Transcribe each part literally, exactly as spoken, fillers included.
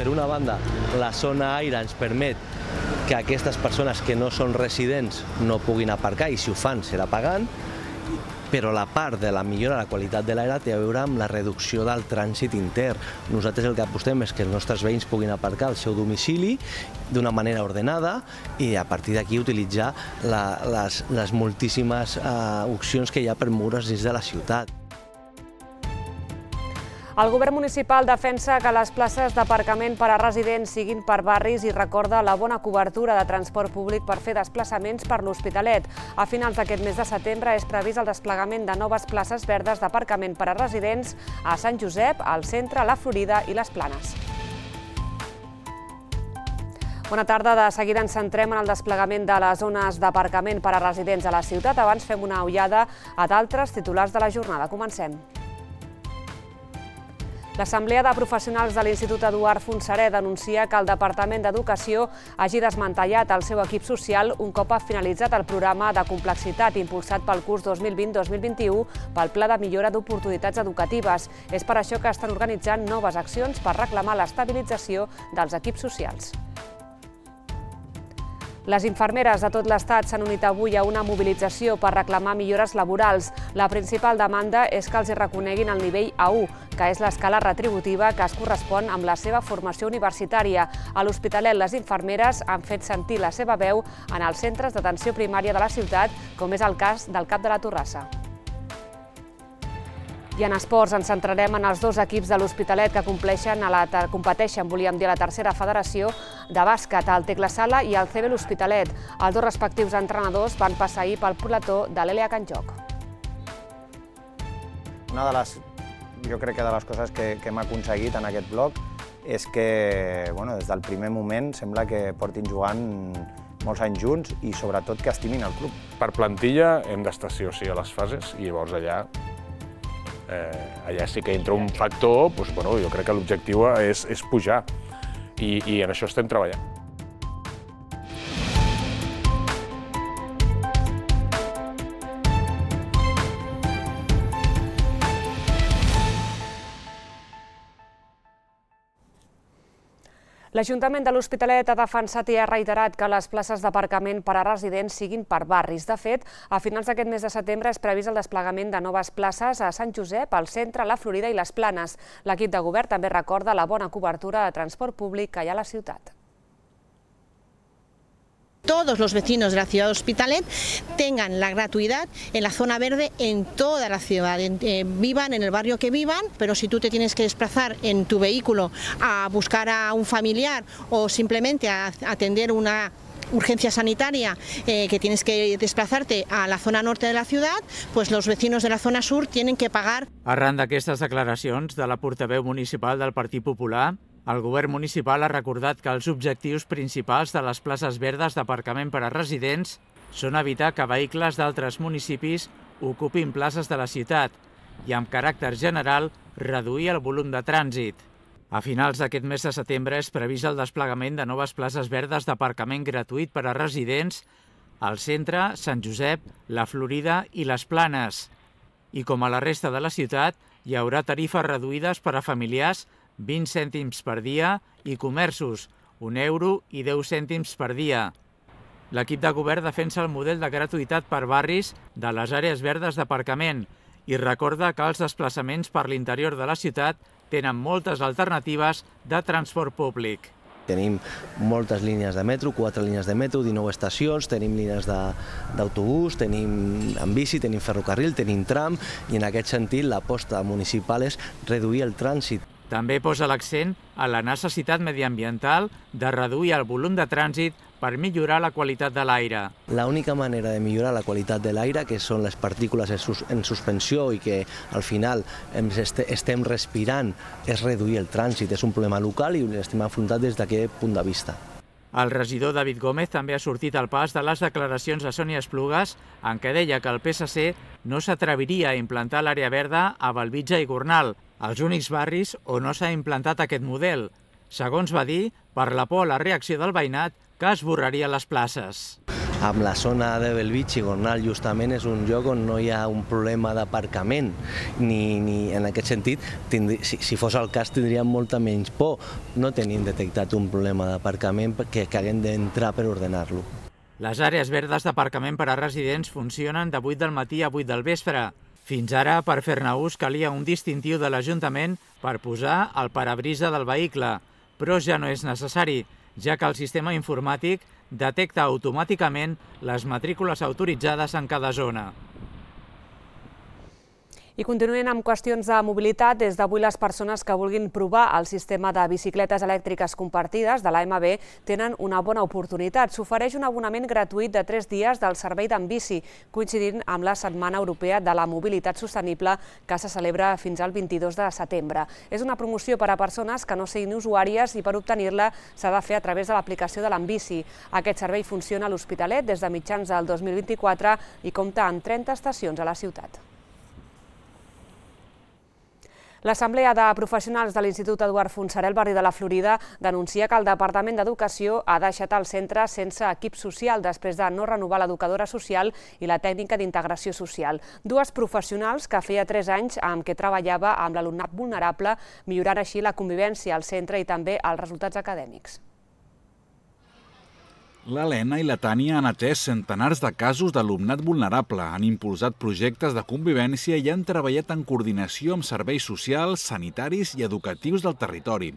Per una banda, la zona aire ens permet que aquestes persones que no són residents no puguin aparcar, i si ho fan serà pagant, però la part de la millora de la qualitat de l'aire té a veure amb la reducció del trànsit intern. Nosaltres el que apostem és que els nostres veïns puguin aparcar al seu domicili d'una manera ordenada i a partir d'aquí utilitzar la, les, les moltíssimes uh, opcions que hi ha per moure's dins de la ciutat. El govern municipal defensa que les places d'aparcament per a residents siguin per barris i recorda la bona cobertura de transport públic per fer desplaçaments per l'Hospitalet. A finals d'aquest mes de setembre és previst el desplegament de noves places verdes d'aparcament per a residents a Sant Josep, al centre, la Florida i les Planes. Bona tarda. De seguida ens centrem en el desplegament de les zones d'aparcament per a residents a la ciutat. Abans fem una ullada a d'altres titulars de la jornada. Comencem. L'Assemblea de Professionals de l'Institut Eduard Fontserè denuncia que el Departament d'Educació hagi desmantellat el seu equip social un cop ha finalitzat el programa de complexitat impulsat pel curs dos mil vint dos mil vint-i-u pel Pla de Millora d'Oportunitats Educatives. És per això que estan organitzant noves accions per reclamar l'estabilització dels equips socials. Les infermeres de tot l'Estat s'han unit avui a una mobilització per reclamar millores laborals. La principal demanda és que els reconeguin el nivell A u, que és l'escala retributiva que es correspon amb la seva formació universitària. A l'Hospitalet, les infermeres han fet sentir la seva veu en els centres d'atenció primària de la ciutat, com és el cas del Cap de la Torrassa. I en esports ens centrarem en els dos equips de l'Hospitalet que compleixen a la, competeixen, volíem dir, a la tercera federació de bàsquet, el Tecla Sala i el C B l'Hospitalet. Els dos respectius entrenadors van passar ahir pel plató de l'E L E A Can Joc. Una de les, jo crec que de les coses que, que hem aconseguit en aquest bloc és que, bueno, des del primer moment sembla que portin jugant molts anys junts i sobretot que estimin el club. Per plantilla hem d'estar sí o sí a les fases i llavors allà Eh, allà sí que entra un factor, doncs, bueno, jo crec que l'objectiu és, és pujar i, i en això estem treballant. L'Ajuntament de l'Hospitalet ha defensat i ha reiterat que les places d'aparcament per a residents siguin per barris. De fet, a finals d'aquest mes de setembre és previst el desplegament de noves places a Sant Josep, al centre, la Florida i les Planes. L'equip de govern també recorda la bona cobertura de transport públic que hi ha a la ciutat. Todos los vecinos de la ciudad de Hospitalet tengan la gratuidad en la zona verde en toda la ciudad, eh, vivan en el barrio que vivan, pero si tú te tienes que desplazar en tu vehículo a buscar a un familiar o simplemente a atender una urgencia sanitaria, eh, que tienes que desplazarte a la zona norte de la ciudad, pues los vecinos de la zona sur tienen que pagar. Arran d'aquestes declaracions de la portaveu municipal del Partit Popular, el govern municipal ha recordat que els objectius principals de les places verdes d'aparcament per a residents són evitar que vehicles d'altres municipis ocupin places de la ciutat i, amb caràcter general, reduir el volum de trànsit. A finals d'aquest mes de setembre és previst el desplegament de noves places verdes d'aparcament gratuït per a residents al centre, Sant Josep, la Florida i les Planes. I com a la resta de la ciutat, hi haurà tarifes reduïdes per a familiars vint cèntims per dia i comerços, un euro i deu cèntims per dia. L'equip de govern defensa el model de gratuïtat per barris de les àrees verdes d'aparcament i recorda que els desplaçaments per l'interior de la ciutat tenen moltes alternatives de transport públic. Tenim moltes línies de metro, quatre línies de metro, dinou estacions, tenim línies d'autobús, tenim en bici, tenim ferrocarril, tenim tram i en aquest sentit l'aposta municipal és reduir el trànsit. També posa l'accent a la necessitat mediambiental de reduir el volum de trànsit per millorar la qualitat de l'aire. L'única manera de millorar la qualitat de l'aire, que són les partícules en suspensió i que al final estem respirant, és reduir el trànsit. És un problema local i l'estem afrontat des d'aquest punt de vista. El regidor David Gómez també ha sortit al pas de les declaracions de Sònia Esplugues en què deia que el P S C no s'atreviria a implantar l'àrea verda a Bellvitge i Gornal, els únics barris on no s'ha implantat aquest model. Segons va dir, per la por a la reacció del veïnat que esborraria les places. Amb la zona de Bellvitge i Gornal justament és un lloc on no hi ha un problema d'aparcament, ni, ni en aquest sentit, tindri, si, si fos el cas tindríem molta menys por. No tenim detectat un problema d'aparcament que, que haguem d'entrar per ordenar-lo. Les àrees verdes d'aparcament per a residents funcionen de vuit del matí a vuit del vespre. Fins ara, per fer-ne ús, calia un distintiu de l'Ajuntament per posar el parabrisa del vehicle, però ja no és necessari, ja que el sistema informàtic detecta automàticament les matrícules autoritzades en cada zona. I continuem amb qüestions de mobilitat. Des d'avui les persones que vulguin provar el sistema de bicicletes elèctriques compartides de l'A M B tenen una bona oportunitat. S'ofereix un abonament gratuït de tres dies del servei d'Enbici, coincidint amb la Setmana Europea de la Mobilitat Sostenible que se celebra fins al vint-i-dos de setembre. És una promoció per a persones que no siguin usuàries i per obtenir-la s'ha de fer a través de l'aplicació de l'Enbici. Aquest servei funciona a l'Hospitalet des de mitjans del dos mil vint-i-quatre i compta amb trenta estacions a la ciutat. L'Assemblea de Professionals de l'Institut Eduard Fontserè al barri de la Florida denuncia que el Departament d'Educació ha deixat el centre sense equip social després de no renovar l'educadora social i la tècnica d'integració social. Dues professionals que feia tres anys amb què treballava amb l'alumnat vulnerable, millorant així la convivència al centre i també els resultats acadèmics. L'Helena i la Tània han atès centenars de casos d'alumnat vulnerable, han impulsat projectes de convivència i han treballat en coordinació amb serveis socials, sanitaris i educatius del territori.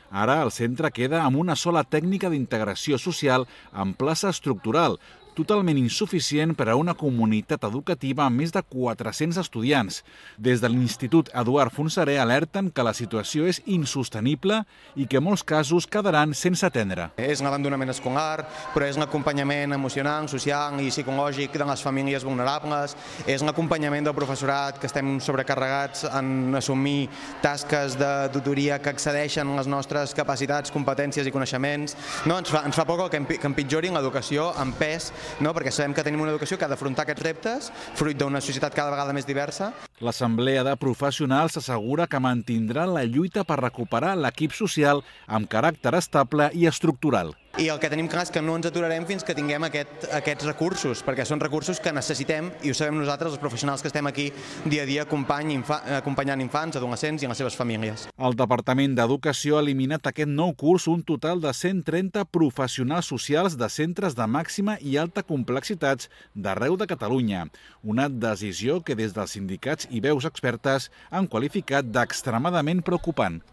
Ara el centre queda amb una sola tècnica d'integració social en plaça estructural, totalment insuficient per a una comunitat educativa amb més de quatre-cents estudiants. Des de l'Institut Eduard Fontserè alerten que la situació és insostenible i que molts casos quedaran sense atendre. És un abandonament escolar, però és un acompanyament emocional, social i psicològic de les famílies vulnerables, és un acompanyament del professorat que estem sobrecarregats en assumir tasques de tutoria que excedeixen les nostres capacitats, competències i coneixements. No, ens fa, ens fa por que empitjorin l'educació amb pes, no? Perquè sabem que tenim una educació que ha d'afrontar aquests reptes, fruit d'una societat cada vegada més diversa. L'Assemblea de Professionals assegura que mantindrà la lluita per recuperar l'equip social amb caràcter estable i estructural. I el que tenim clar és que no ens aturarem fins que tinguem aquest, aquests recursos, perquè són recursos que necessitem i ho sabem nosaltres, els professionals que estem aquí dia a dia acompany, infa, acompanyant infants, adolescents i les seves famílies. El Departament d'Educació ha eliminat aquest nou curs un total de cent trenta professionals socials de centres de màxima i alta complexitats d'arreu de Catalunya. Una decisió que des dels sindicats i veus expertes han qualificat d'extremadament preocupant.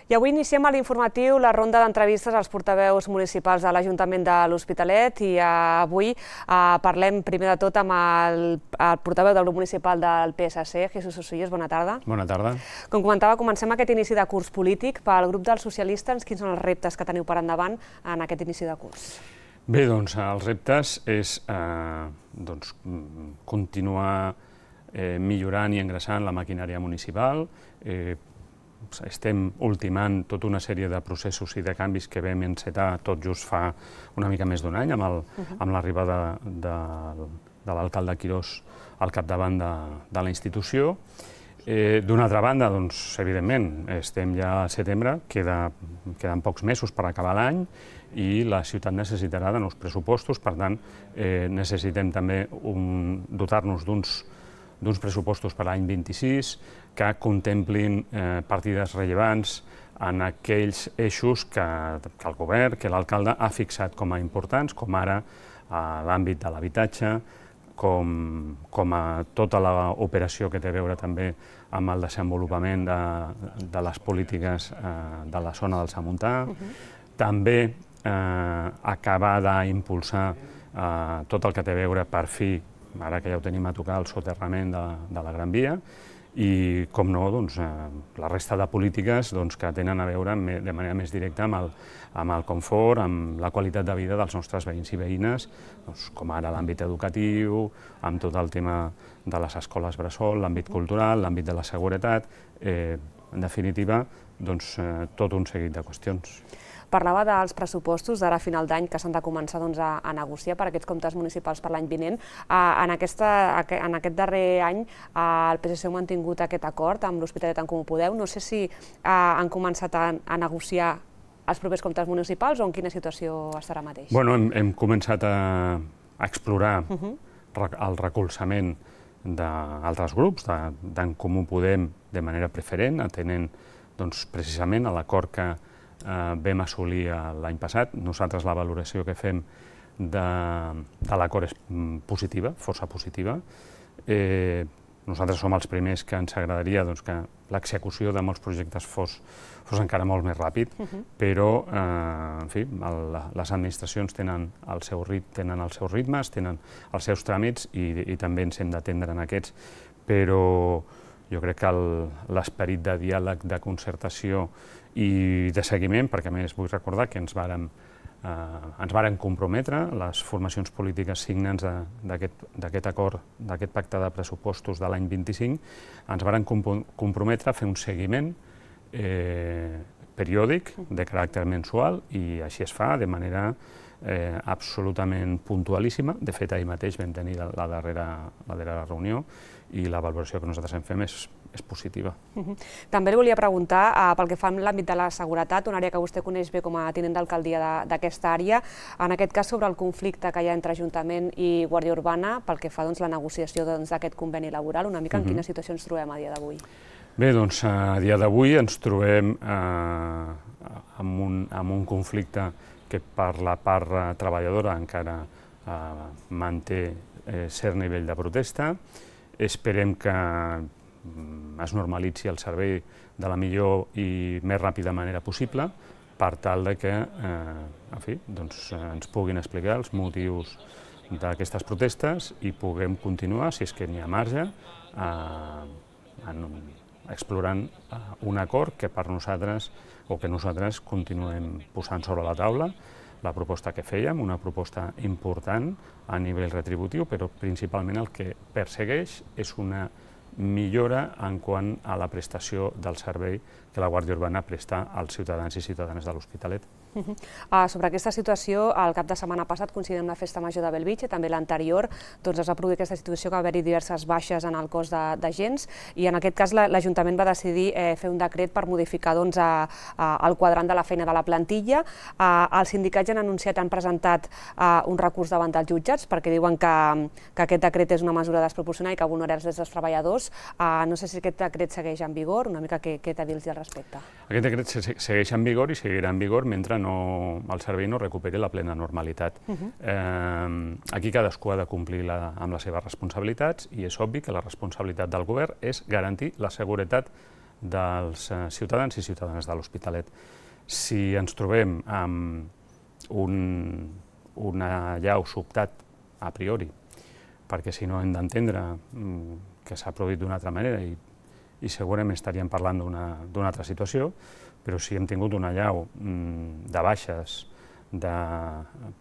I avui iniciem a l'informatiu la ronda d'entrevistes als portaveus municipals de l'Ajuntament de l'Hospitalet i avui parlem primer de tot amb el portaveu del grup municipal del P S C, Jesús Osillos. Bona tarda. Bona tarda. Com comentava, comencem aquest inici de curs polític. Pel grup dels socialistes, quins són els reptes que teniu per endavant en aquest inici de curs? Bé, doncs els reptes és continuar millorant i engreixant la maquinària municipal. Estem ultimant tota una sèrie de processos i de canvis que vam encetar tot just fa una mica més d'un any amb l'arribada de l'alcalde Quirós al capdavant de la institució. D'una altra banda, doncs, evidentment, estem ja al setembre, queden pocs mesos per acabar l'any i la ciutat necessitarà de nous pressupostos, per tant, necessitem també dotar-nos d'uns d'uns pressupostos per l'any vint-i-sis que contemplin partides rellevants en aquells eixos que el govern, que l'alcalde ha fixat com a importants, com ara l'àmbit de l'habitatge, com a tota l'operació que té a veure també amb el desenvolupament de les polítiques de la zona del Samontà, també acabar d'impulsar tot el que té a veure per fi, ara que ja ho tenim a tocar, el soterrament de la Gran Via, i, com no, la resta de polítiques que tenen a veure de manera més directa amb el confort, amb la qualitat de vida dels nostres veïns i veïnes, com ara l'àmbit educatiu, amb tot el tema de les escoles bressol, l'àmbit cultural, l'àmbit de la seguretat, en definitiva, tot un seguit de qüestions. Parlava dels pressupostos d'ara a final d'any que s'han de començar a negociar per aquests comptes municipals per l'any vinent. En aquest darrer any el P S C ha mantingut aquest acord amb l'Hospitalet en Comú Podem. No sé si han començat a negociar els propers comptes municipals o en quina situació estarà mateix? Bueno, hem, hem començat a, a explorar uh-huh. el recolzament d'altres grups, d'en Comú Podem de manera preferent, atenent doncs, precisament a l'acord que eh, vam assolir l'any passat. Nosaltres la valoració que fem de, de l'acord és positiva, força positiva. Eh, nosaltres som els primers que ens agradaria doncs, que l'execució de molts projectes fos, fos encara molt més ràpid, uh-huh. però eh, en fi, el, les administracions tenen, el seu rit, tenen els seus ritmes, tenen els seus tràmits i, i també ens hem d'atendre en aquests, però jo crec que l'esperit de diàleg, de concertació i de seguiment, perquè a més vull recordar que ens vàrem Uh, ens varen comprometre, les formacions polítiques signants d'aquest acord, d'aquest pacte de pressupostos de l'any vint-i-cinc, ens varen comprometre a fer un seguiment eh, periòdic, de caràcter mensual, i així es fa de manera eh, absolutament puntualíssima. De fet, ahir mateix vam tenir la darrera, la darrera reunió i la valoració que nosaltres en fem és, és positiva. Uh-huh. També li volia preguntar, uh, pel que fa en l'àmbit de la seguretat, una àrea que vostè coneix bé com a tinent d'alcaldia d'aquesta àrea, en aquest cas sobre el conflicte que hi ha entre Ajuntament i Guàrdia Urbana, pel que fa doncs, la negociació d'aquest doncs, conveni laboral, una mica en uh-huh. quina situació ens trobem a dia d'avui? Bé, doncs a dia d'avui ens trobem eh, amb, un, amb un conflicte que per la part treballadora encara eh, manté eh, cert nivell de protesta. Esperem que es normalitzi el servei de la millor i més ràpida manera possible per tal de que eh, en fi, doncs, ens puguin explicar els motius d'aquestes protestes i puguem continuar, si és que n'hi ha marge, eh, en, explorant un acord que per nosaltres o que nosaltres continuem posant sobre la taula la proposta que fèiem, una proposta important a nivell retributiu, però principalment el que persegueix és una millora en quant a la prestació del servei que la Guàrdia Urbana presta als ciutadans i ciutadanes de l'Hospitalet. Uh-huh. uh, sobre aquesta situació, el cap de setmana passat, coincidint amb la Festa Major de Bellvitge, també l'anterior, doncs es va produir aquesta situació que va haver-hi diverses baixes en el cos d'agents i en aquest cas l'Ajuntament va decidir eh, fer un decret per modificar doncs, a, a, el quadrant de la feina de la plantilla. Uh, els sindicats han anunciat, han presentat uh, un recurs davant dels jutjats perquè diuen que, que aquest decret és una mesura desproporcionada i que vulnera els drets dels treballadors. Uh, no sé si aquest decret segueix en vigor, una mica què, què t'ha dit al respecte? Aquest decret segueix en vigor i seguirà en vigor mentre no, el servei no recuperi la plena normalitat. Uh-huh. eh, aquí cadascú ha de complir la, amb les seves responsabilitats i és obvi que la responsabilitat del govern és garantir la seguretat dels eh, ciutadans i ciutadanes de l'Hospitalet. Si ens trobem amb un, una llau sobtat a priori, perquè si no hem d'entendre mm, que s'ha produït d'una altra manera i, i segurament estaríem parlant d'una altra situació, però si hem tingut una allau mm, de baixes, de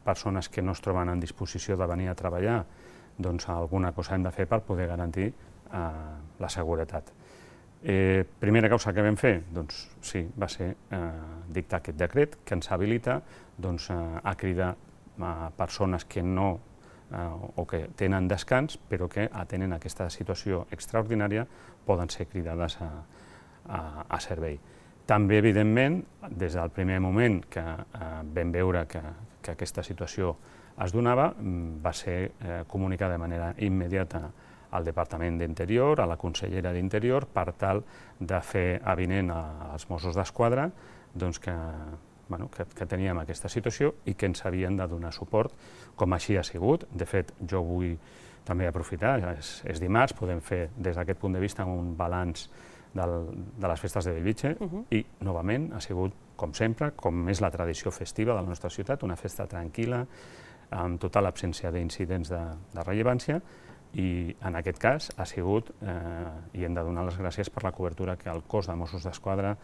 persones que no es troben en disposició de venir a treballar, doncs alguna cosa hem de fer per poder garantir eh, la seguretat. Eh, primera causa que vam fer, doncs sí, va ser eh, dictar aquest decret que ens habilita doncs, eh, a cridar a persones que no eh, o que tenen descans, però que atenen aquesta situació extraordinària, poden ser cridades a, a, a servei. També, evidentment, des del primer moment que eh, vam veure que, que aquesta situació es donava, va ser eh, comunicar de manera immediata al Departament d'Interior, a la Consellera d'Interior, per tal de fer avinent als Mossos d'Esquadra doncs que, bueno, que, que teníem aquesta situació i que ens havien de donar suport, com així ha sigut. De fet, jo vull també aprofitar, és, és dimarts, podem fer des d'aquest punt de vista un balanç del, de les festes de Bellvitge uh-huh. i, novament, ha sigut, com sempre, com és la tradició festiva de la nostra ciutat, una festa tranquil·la, amb total absència d'incidents de, de rellevància, i en aquest cas ha sigut, eh, i hem de donar les gràcies per la cobertura que el cos de Mossos d'Esquadra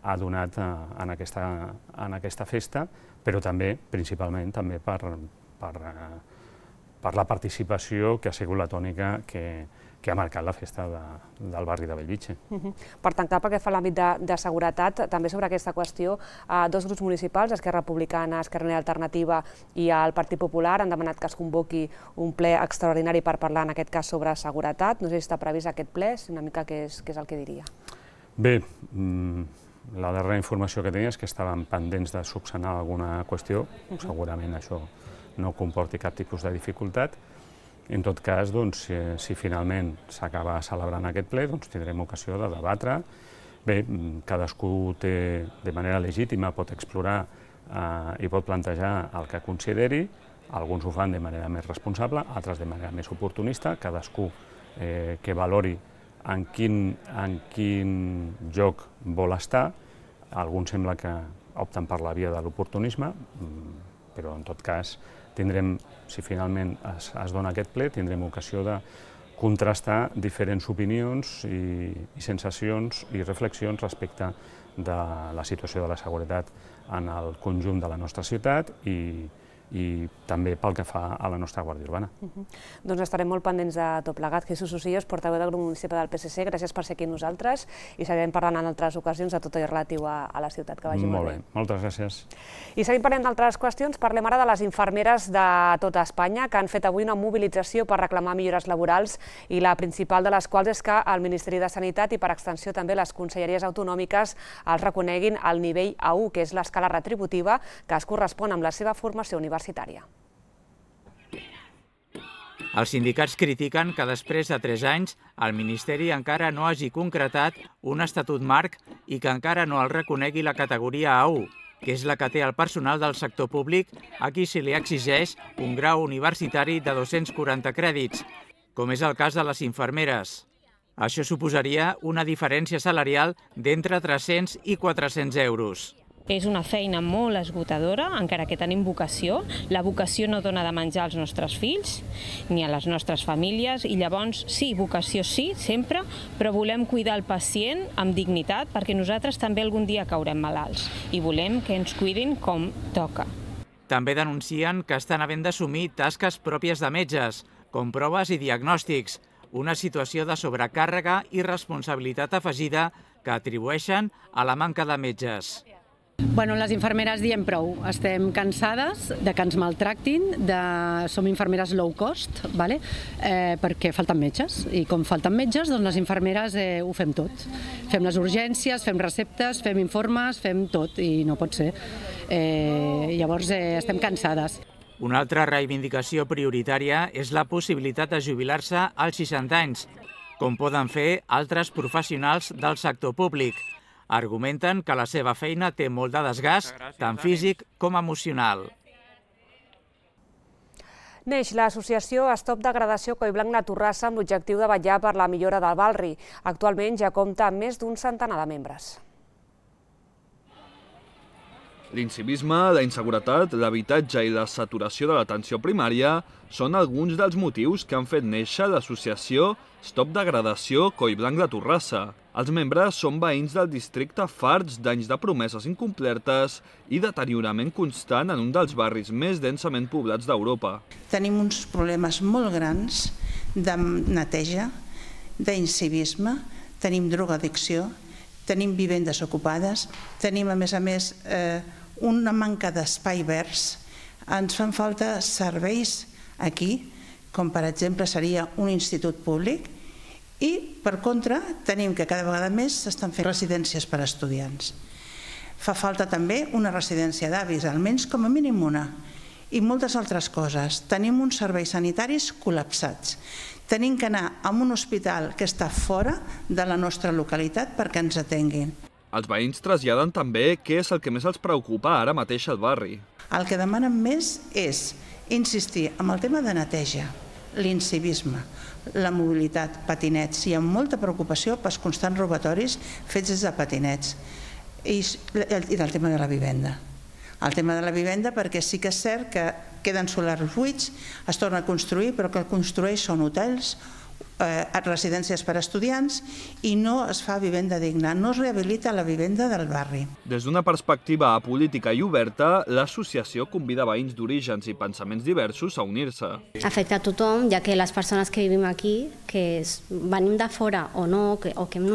ha donat eh, en, aquesta, en aquesta festa, però també, principalment, també per, per, eh, per la participació que ha sigut la tònica que, que ha marcat la festa de, del barri de Bellvitge. Uh-huh. Per tancar, pel que fa a l'àmbit de, de seguretat, també sobre aquesta qüestió, eh, dos grups municipals, Esquerra Republicana, Esquerra Unida Alternativa i el Partit Popular, han demanat que es convoqui un ple extraordinari per parlar, en aquest cas, sobre seguretat. No sé si està previst aquest ple, una mica què és, què és el que diria. Bé, mm, la darrera informació que tenia és que estaven pendents de subsanar alguna qüestió, segurament això no comporti cap tipus de dificultat. En tot cas, doncs, si, si finalment s'acaba celebrant aquest ple, doncs tindrem ocasió de debatre. Bé, cadascú té, de manera legítima, pot explorar eh, i pot plantejar el que consideri. Alguns ho fan de manera més responsable, altres de manera més oportunista, cadascú eh, que valori en quin, en quin lloc vol estar. Alguns sembla que opten per la via de l'oportunisme, però en tot cas tindrem, si finalment es, es dona aquest ple, tindrem ocasió de contrastar diferents opinions i, i sensacions i reflexions respecte de la situació de la seguretat en el conjunt de la nostra ciutat i, i també pel que fa a la nostra Guàrdia Urbana. Uh-huh. Doncs estarem molt pendents de tot plegat. Jesús Osillos, portaveu del grup municipal del P S C, gràcies per ser aquí amb nosaltres i seguirem parlant en altres ocasions de tot allò relatiu a, a la ciutat. Que vagi molt bé. Molt bé, moltes gràcies. I seguim parlant d'altres qüestions. Parlem ara de les infermeres de tota Espanya que han fet avui una mobilització per reclamar millores laborals i la principal de les quals és que el Ministeri de Sanitat i per extensió també les conselleries autonòmiques els reconeguin el nivell A u, que és l'escala retributiva que es correspon amb la seva formació universitària. Els sindicats critiquen que després de tres anys el Ministeri encara no hagi concretat un estatut marc i que encara no el reconegui la categoria A u, que és la que té el personal del sector públic a qui se li exigeix un grau universitari de dos-cents quaranta crèdits, com és el cas de les infermeres. Això suposaria una diferència salarial d'entre tres-cents i quatre-cents euros. És una feina molt esgotadora, encara que tenim vocació. La vocació no dona de menjar als nostres fills ni a les nostres famílies i llavors sí, vocació sí, sempre, però volem cuidar el pacient amb dignitat perquè nosaltres també algun dia caurem malalts i volem que ens cuidin com toca. També denuncien que estan havent d'assumir tasques pròpies de metges, com proves i diagnòstics, una situació de sobrecàrrega i responsabilitat afegida que atribueixen a la manca de metges. Bueno, les infermeres diem prou. Estem cansades de que ens maltractin, de... som infermeres low cost, vale? eh, perquè falten metges. I com falten metges, doncs les infermeres eh, ho fem tot. Fem les urgències, fem receptes, fem informes, fem tot, i no pot ser. Eh, llavors eh, estem cansades. Una altra reivindicació prioritària és la possibilitat de jubilar-se als seixanta anys, com poden fer altres professionals del sector públic. Argumenten que la seva feina té molt de desgast, tant físic com emocional. Neix l'associació Stop Degradació Collblanc La Torrassa amb l'objectiu de vetllar per la millora del barri. Actualment ja compta amb més d'un centenar de membres. L'incivisme, la inseguretat, l'habitatge i la saturació de l'atenció primària són alguns dels motius que han fet néixer l'associació Stop Degradació Collblanc La Torrassa. Els membres són veïns del districte farts d'anys de promeses incomplertes i deteriorament constant en un dels barris més densament poblats d'Europa. Tenim uns problemes molt grans de neteja, d'incivisme, tenim drogadicció, tenim vivendes ocupades, tenim a més a més eh, una manca d'espai verds, ens fan falta serveis aquí, com per exemple seria un institut públic, i per contra tenim que cada vegada més s'estan fent residències per a estudiants. Fa falta també una residència d'avis, almenys com a mínim una, i moltes altres coses. Tenim uns serveis sanitaris col·lapsats. Tenim que anar a un hospital que està fora de la nostra localitat perquè ens atenguin. Els veïns traslladen també què és el que més els preocupa ara mateix al barri. El que demanen més és insistir en el tema de neteja, l'incivisme, la mobilitat, patinets. Hi ha molta preocupació pels constants robatoris fets des de patinets i el tema de la vivenda. El tema de la vivenda perquè sí que és cert que queden solars buits, es torna a construir, però que el construeix són hotels, eh, residències per a estudiants i no es fa vivenda digna, no es rehabilita la vivenda del barri. Des d'una perspectiva política i oberta, l'associació convida veïns d'orígens i pensaments diversos a unir-se. Afecta a tothom, ja que les persones que vivim aquí, que venim de fora o no, que, o que hem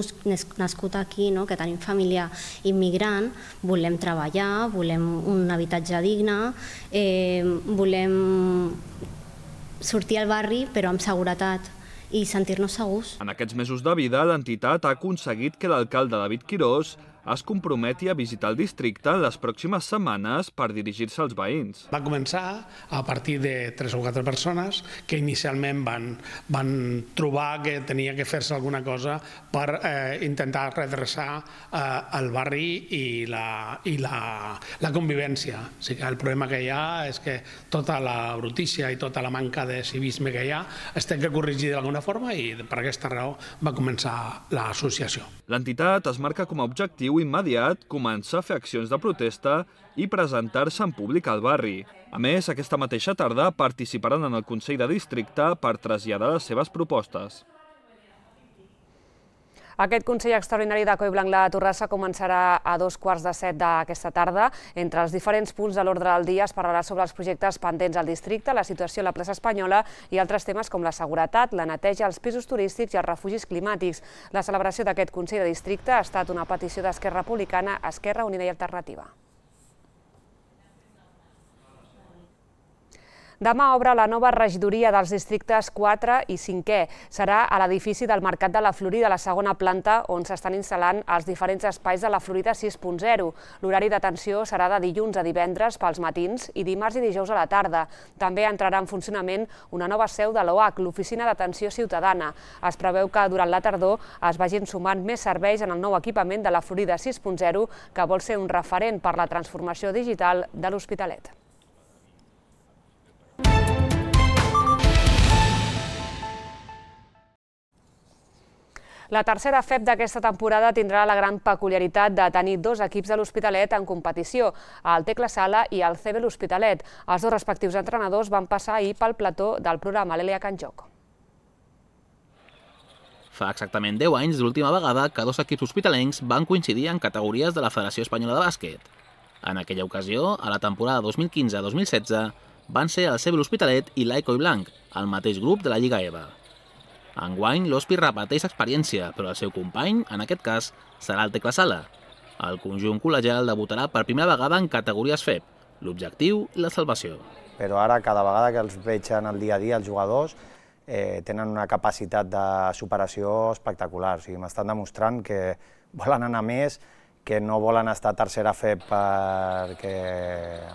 nascut aquí, no, que tenim família immigrant, volem treballar, volem un habitatge digne, eh, volem sortir al barri però amb seguretat i sentir-nos segurs. En aquests mesos de vida, l'entitat ha aconseguit que l'alcalde David Quirós es comprometi a visitar el districte en les pròximes setmanes per dirigir-se als veïns. Va començar a partir de tres o quatre persones que inicialment van, van trobar que tenia que fer-se alguna cosa per eh, intentar redreçar eh, el barri i, la, i la, la convivència. O sigui, el problema que hi ha és que tota la brutícia i tota la manca de civisme que hi ha es té que corregir d'alguna forma i per aquesta raó va començar l'associació. L'entitat es marca com a objectiu immediat començar a fer accions de protesta i presentar-se en públic al barri. A més, aquesta mateixa tarda participaran en el Consell de Districte per traslladar les seves propostes. Aquest Consell Extraordinari de Collblanc-La Torrassa començarà a dos quarts de set d'aquesta tarda. Entre els diferents punts de l'ordre del dia es parlarà sobre els projectes pendents al districte, la situació a la plaça Espanyola i altres temes com la seguretat, la neteja, els pisos turístics i els refugis climàtics. La celebració d'aquest Consell de Districte ha estat una petició d'Esquerra Republicana, Esquerra Unida i Alternativa. Demà obre la nova regidoria dels districtes quatre i cinquè. Serà a l'edifici del Mercat de la Florida, a la segona planta, on s'estan instal·lant els diferents espais de la Florida sis punt zero. L'horari d'atenció serà de dilluns a divendres pels matins i dimarts i dijous a la tarda. També entrarà en funcionament una nova seu de l'O H, l'Oficina d'Atenció Ciutadana. Es preveu que durant la tardor es vagin sumant més serveis en el nou equipament de la Florida sis punt zero, que vol ser un referent per la transformació digital de l'Hospitalet. La tercera F E P d'aquesta temporada tindrà la gran peculiaritat de tenir dos equips de l'Hospitalet en competició, el Tecla Sala i el C B l'Hospitalet. Els dos respectius entrenadors van passar ahir pel plató del programa l'Elia Can Joc. Fa exactament deu anys de l'última vegada que dos equips hospitalencs van coincidir en categories de la Federació Espanyola de Bàsquet. En aquella ocasió, a la temporada dos mil quinze dos mil setze, van ser el C B l'Hospitalet i l'Ai Collblanc, el mateix grup de la Lliga E V A. Enguany, l'Hospi repeteix experiència, però el seu company, en aquest cas, serà el Tecla Sala. El conjunt col·legial debutarà per primera vegada en categories F E P, l'objectiu i la salvació. Però ara, cada vegada que els veig en el dia a dia, els jugadors eh, tenen una capacitat de superació espectacular. O sigui, m'estan demostrant que volen anar més, que no volen estar a tercera F E P perquè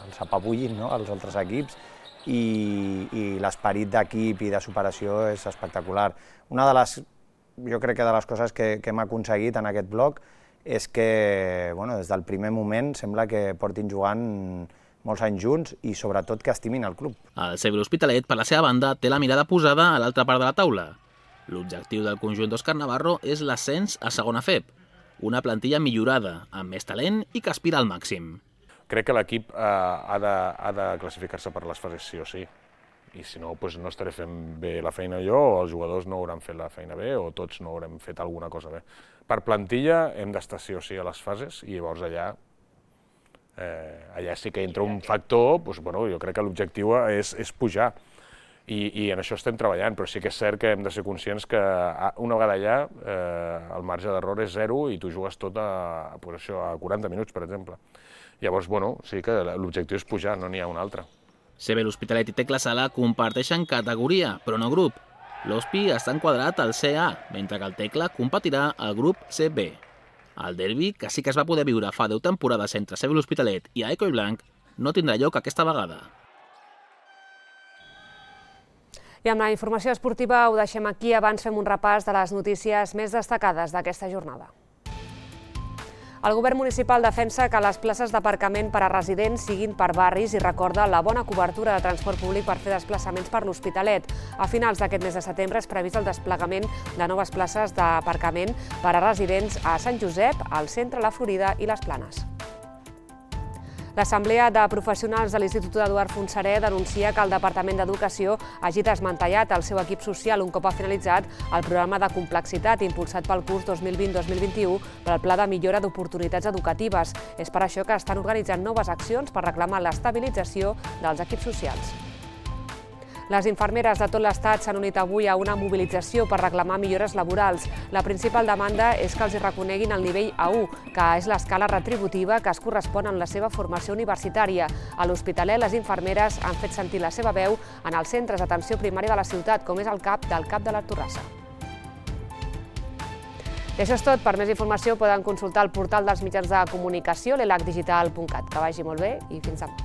els apabullin, no?, els altres equips, i, i l'esperit d'equip i de superació és espectacular. Una de les, jo crec que de les coses que, que hem aconseguit en aquest bloc és que, bueno, des del primer moment sembla que portin jugant molts anys junts i sobretot que estimin el club. El C B l'Hospitalet, per la seva banda, té la mirada posada a l'altra part de la taula. L'objectiu del conjunt d'Òscar Navarro és l'ascens a segona F E P, una plantilla millorada, amb més talent i que aspira al màxim. Crec que l'equip eh, ha de, ha de classificar-se per les fases sí o sí, i si no, doncs no estaré fent bé la feina jo, o els jugadors no hauran fet la feina bé, o tots no haurem fet alguna cosa bé. Per plantilla hem d'estar sí o sí a les fases, i llavors allà, eh, allà sí que entra un factor, doncs, bueno, jo crec que l'objectiu és, és pujar, I, i en això estem treballant, però sí que és cert que hem de ser conscients que una vegada allà eh, el marge d'error és zero i tu jugues tot a, pues això, a quaranta minuts, per exemple. Llavors, bueno, sí que l'objectiu és pujar, no n'hi ha un altre. C B l'Hospitalet i Tecla Sala comparteixen categoria, però no grup. L'Hospi està enquadrat al C A, mentre que el Tecla competirà al grup C B. El derbi, que sí que es va poder viure fa deu temporades entre C B l'Hospitalet i Ai Collblanc, no tindrà lloc aquesta vegada. I amb la informació esportiva ho deixem aquí. Abans fem un repàs de les notícies més destacades d'aquesta jornada. El govern municipal defensa que les places d'aparcament per a residents siguin per barris i recorda la bona cobertura de transport públic per fer desplaçaments per l'Hospitalet. A finals d'aquest mes de setembre és previst el desplegament de noves places d'aparcament per a residents a Sant Josep, al centre, la Florida i les Planes. L'Assemblea de Professionals de l'Institut Eduard Fontserè denuncia que el Departament d'Educació hagi desmantellat el seu equip social un cop ha finalitzat el programa de complexitat impulsat pel curs dos mil vint dos mil vint-i-u per al Pla de Millora d'Oportunitats Educatives. És per això que estan organitzant noves accions per reclamar l'estabilització dels equips socials. Les infermeres de tot l'Estat s'han unit avui a una mobilització per reclamar millores laborals. La principal demanda és que els hi reconeguin el nivell A u, que és l'escala retributiva que es correspon amb la seva formació universitària. A l'Hospitalet, les infermeres han fet sentir la seva veu en els centres d'atenció primària de la ciutat, com és el CAP del CAP de la Torrassa. I això és tot. Per més informació poden consultar el portal dels mitjans de comunicació, l'elac digital punt cat. Que vagi molt bé i fins demà.